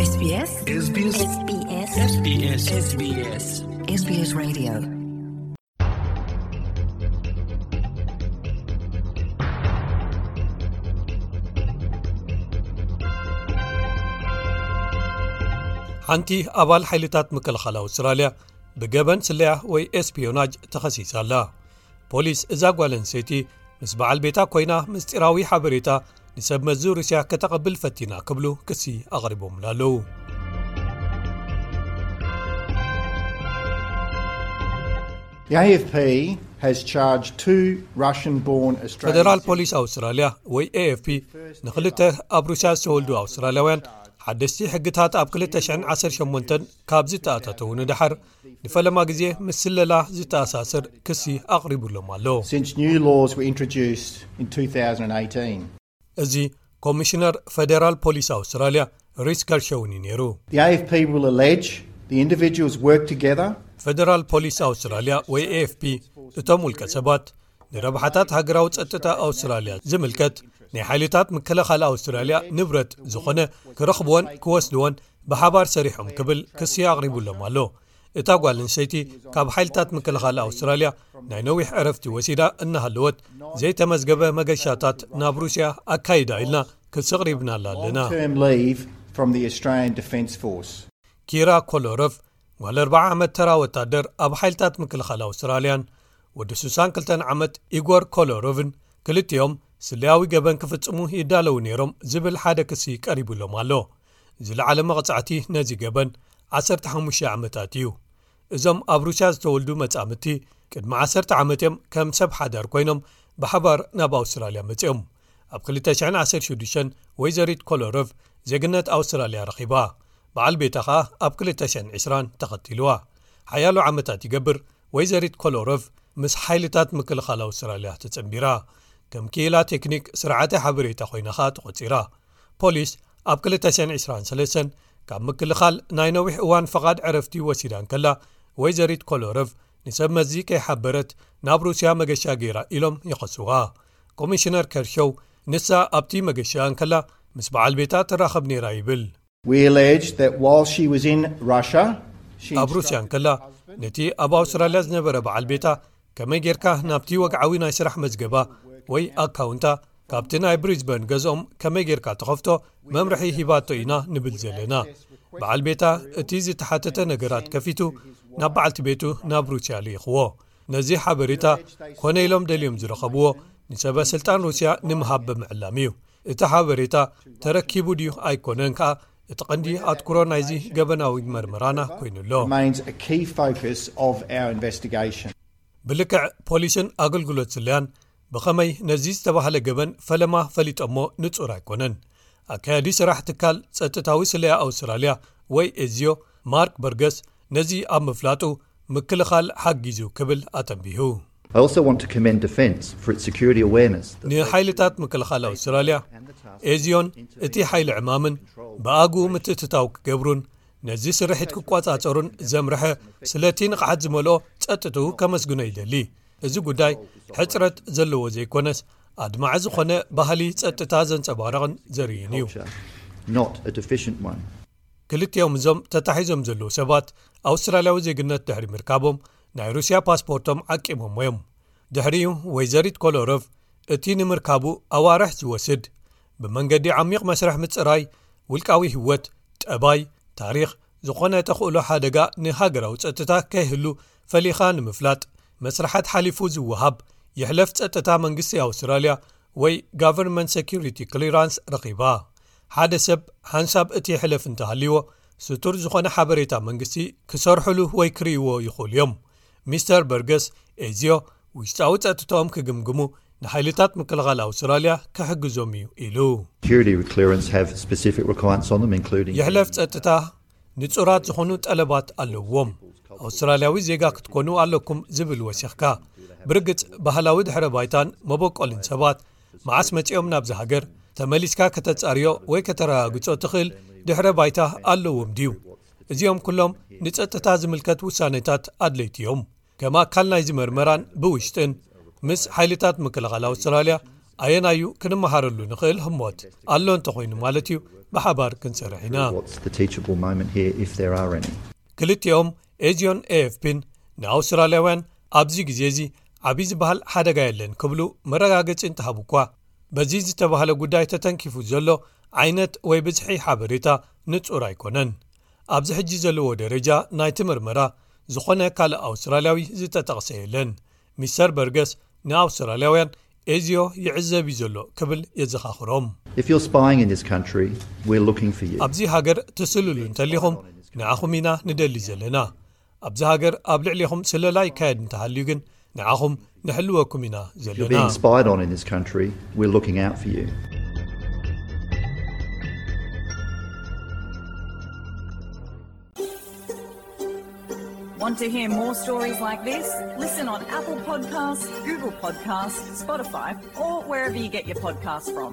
SBS SBS SBS SBS SBS Radio. ሓንቲ ኣባል ሓይልታት ምክልኻል ኣውስትራልያ ብገበን ስለያ ወይ ኤስፒዮናጅ ተኸሲሳ ኣላ። ፖሊስ እዛ ጓል ኣንስተይቲ ምስ በዓል ቤታ ኮይና ምስጢራዊ ሓበሬታ ንሰብ መዚ ሩስያ ከተቐብል ፈቲና ክብሉ ክሲ ኣቕሪቦምላ ኣለዉ። The A F P has charged two Russian born Australian ፈደራል ፖሊስ ኣውስትራልያ ወይ ኤኤፍፒ ንክልተ ኣብ ሩስያ ዝተወልዱ ኣውስትራልያውያን ሓደስቲ ሕግታት ኣብ ክልተ ሽሕን ዓሰርተ ሸሞንተን ካብ ዝተኣታተዉ ንደሓር ንፈለማ ግዜ ምስ ስለላ ዝተኣሳሰር ክሲ ኣቕሪቡሎም ኣሎ። Since new laws were introduced in two thousand and eighteen. እዚ ኮሚሽነር ፈደራል ፖሊስ ኣውስትራልያ ሪስ ከርሸውን እዩ ነይሩ። The A F P will allege the individuals work together. ፈደራል ፖሊስ ኣውስትራልያ ወይ ኤኤፍፒ እቶም ውልቀ ሰባት ንረብሓታት ሃገራዊ ጸጥታ ኣውስትራልያ ዝምልከት ናይ ሓይልታት ምክልኻል ኣውስትራልያ ንብረት ዝኾነ ክረኽብዎን ክወስድዎን ብሓባር ሰሪሖም ክብል ክሲ ኣቕሪቡሎም ኣሎ። እታ ጓል ኣንስተይቲ ካብ ሓይልታት ምክልኻል ኣውስትራልያ ናይ ነዊሕ ዕረፍቲ ወሲዳ እናሃለወት ዘይተመዝገበ መገሻታት ናብ ሩስያ ኣካይዳ ኢልና ክሲ ኣቕሪብናላ ኣለና። Term leave from the Australian Defence Force. ኪራ ኮሎሮቭ ጓል ኣርብዓ ዓመት ተራ ወታደር ኣብ ሓይልታት ምክልኻል ኣውስትራልያን ወዲ ስሳን ክልተን ዓመት ኢጎር ኮሎሮቭን ክልቲኦም ስለያዊ ገበን ክፍጽሙ ይዳለዉ ነይሮም ዝብል ሓደ ክሲ ቀሪቡሎም ኣሎ። ዝለዓለ መቕጻዕቲ ነዚ ገበን ዓሰርተ ሓሙሽተ ዓመታት እዩ። እዞም ኣብ ሩስያ ዝተወልዱ መጻምድቲ ቅድሚ ዓሰርተ ዓመት እዮም ከም ሰብ ሓዳር ኮይኖም ብሓባር ናብ ኣውስትራልያ መጺኦም። ኣብ ክልተ ሽሕን ዓሰርተ ሽዱሽተን ወይዘሪት ኮሎሮቭ ዜግነት ኣውስትራልያ ረኺባ። በዓል ቤታ ኸኣ ኣብ ክልተ ሽሕን ዕስራን ተኸቲልዋ። ሓያሎ ዓመታት ይገብር ወይዘሪት ኮሎሮቭ ምስ ሓይልታት ምክልኻል ኣውስትራልያ ተጸንቢራ። ከም ክኢላ ቴክኒክ ስርዓተ ሓበሬታ ኮይና ኸኣ ተቖጺራ። ፖሊስ ኣብ ክልተ ሽሕን ዕስራን ሰለስተን ካብ ምክልኻል ናይ ነዊሕ እዋን ፈቓድ ዕረፍቲ ወሲዳ እንከላ ወይዘሪት ኮሎሮቭ ንሰብ መዚ ከይሓበረት ናብ ሩስያ መገሻ ገይራ ኢሎም ይኸስዋ። ኮሚሽነር ከርሸው ንሳ ኣብቲ መገሻ እንከላ ምስ በዓል ቤታ ትራኸብ ነይራ ይብል። We allege that while she was in Russia, she ኣብ ሩስያ እንከላ ነቲ ኣብ ኣውስትራልያ ዝነበረ በዓል ቤታ ከመይ ጌርካ ናብቲ ወግዓዊ ናይ ስራሕ መዝገባ ወይ ኣካውንታ ካብቲ ናይ ብሪዝበን ገዝኦም ከመይ ጌርካ ትኸፍቶ መምርሒ ሂባቶ ኢና ንብል ዘለና። በዓል ቤታ እቲ ዝተሓተተ ነገራት ከፊቱ ናብ በዓልቲ ቤቱ ናብ ሩስያ ልኢኽዎ። ነዚ ሓበሬታ ኮነ ኢሎም ደልዮም ዝረኸብዎ ንሰበ ስልጣን ሩስያ ንምሃብ ብምዕላም እዩ። እቲ ሓበሬታ ተረኪቡ ድዩ ኣይኮነን ከኣ እቲ ቀንዲ ኣትኩሮ ናይዚ ገበናዊ መርመራና ኮይኑ ኣሎ። Remains a key focus of our investigation. ብልክዕ ፖሊስን ኣገልግሎት ስለያን ብኸመይ ነዚ ዝተባህለ ገበን ፈለማ ፈሊጦሞ ንጹር ኣይኮነን። ኣካያዲ ስራሕ ትካል ጸጥታዊ ስለያ ኣውስትራልያ ወይ ኤዝዮ ማርክ በርገስ ነዚ ኣብ ምፍላጡ ምክልኻል ሓጊዙ ክብል ኣተንቢሁ። I also want to commend Defence for its security awareness. ንሓይልታት ምክልኻል ኣውስትራልያ ኤዝዮን እቲ ሓይሊ ዕማምን ብኣግኡ ምትእትታው ክገብሩን ነዚ ስርሒት ክቋጻጸሩን ዘምርሐ ስለቲ ንቕሓት ዝመልኦ ጸጥትኡ ከመስግኖ ይደሊ። እዚ ጉዳይ ሕጽረት ዘለዎ ዘይኮነስ ኣድማዒ ዝኾነ ባህሊ ጸጥታ ዘንጸባርቕን ዘርእይን እዩ። Not a deficient one. ክልቲኦም እዞም ተታሒዞም ዘለዉ ሰባት ኣውስትራልያዊ ዜግነት ድሕሪ ምርካቦም ናይ ሩስያ ፓስፖርቶም ዓቂቦሞ እዮም። ድሕሪኡ ወይዘሪት ኮሎሮቭ እቲ ንምርካቡ ኣዋርሕ ዝወስድ ብመንገዲ ዓሚቕ መስርሕ ምጽራይ ውልቃዊ ህይወት፣ ጠባይ፣ ታሪኽ፣ ዝኾነ ተኽእሎ ሓደጋ ንሃገራዊ ጸጥታ ከይህሉ ፈሊኻ ንምፍላጥ መስርሓት ሓሊፉ ዝወሃብ ይሕለፍ ጸጥታ መንግስቲ ኣውስትራልያ ወይ ጋቨርንመንት ሴኩሪቲ ክሊራንስ ረኺባ። ሓደ ሰብ ሓንሳብ እቲ ሕለፍ እንተሃልይዎ ስቱር ዝኾነ ሓበሬታ መንግስቲ ክሰርሕሉ ወይ ክርእይዎ ይኽእሉ እዮም። ሚስተር በርገስ ኤዝዮ ውሽጣዊ ጸጥታኦም ክግምግሙ ንሓይልታት ምክልኻል ኣውስትራልያ ክሕግዞም እዩ ኢሉ። Security clearance have specific requirements on them, including የሕለፍ ጸጥታ ንጹራት ዝኾኑ ጠለባት ኣለዎም። ኣውስትራልያዊ ዜጋ ክትኮኑ ኣለኩም ዝብል ወሲኽካ። ብርግጽ ባህላዊ ድሕረ ባይታን መበቆልን ሰባት መዓስ መጺኦም ናብዚ ሃገር ተመሊስካ ከተጻርዮ ወይ ከተረጋግጾ ትኽእል ድሕረ ባይታ ኣለዎም ድዩ? እዚኦም ኩሎም ንጸጥታ ዝምልከት ውሳኔታት ኣድለይቲ እዮም። ከም ኣካል ናይዚ መርመራን ብውሽጥን ምስ ሓይልታት ምክልኻል ኣውስትራልያ ኣየናዩ ክንመሃረሉ ንኽእል ህሞት ኣሎ እንተኾይኑ ማለት እዩ፣ ብሓባር ክንሰርሕ ኢና። What's the teachable moment here, if there are any? ክልቲኦም ኤዚዮን ኤኤፍፒን ንኣውስትራልያውያን ኣብዚ ግዜ እዚ ዓብዪ ዝበሃል ሓደጋ የለን ክብሉ መረጋገጺ እንተሃቡ እኳ፣ በዚ ዝተባህለ ጉዳይ ተተንኪፉ ዘሎ ዓይነት ወይ ብዝሒ ሓበሬታ ንጹር ኣይኮነን። ኣብዚ ሕጂ ዘለዎ ደረጃ ናይቲ ምርመራ ዝኾነ ካልእ ኣውስትራልያዊ ዝተጠቕሰ የለን። ሚስተር በርገስ ንኣውስትራልያውያን ኤዚዮ ይዕዘብ እዩ ዘሎ ክብል የዘኻኽሮም። If you're spying in this country, we're looking for you. ኣብዚ ሃገር ትስልሉ እንተሊኹም ንዓኹም ኢና ንደሊ ዘለና። ኣብዚ ሃገር ኣብ ልዕሊኹም ስለላ ይካየድ እንተሃልዩ ግን ንዓኹም ንሕልወኩም ኢና If you're ዘለና። Being spied on in this country, we're looking out for you. Want to hear more stories like this? Listen on Apple Podcasts, Google Podcasts, Spotify, or wherever you get your podcasts from.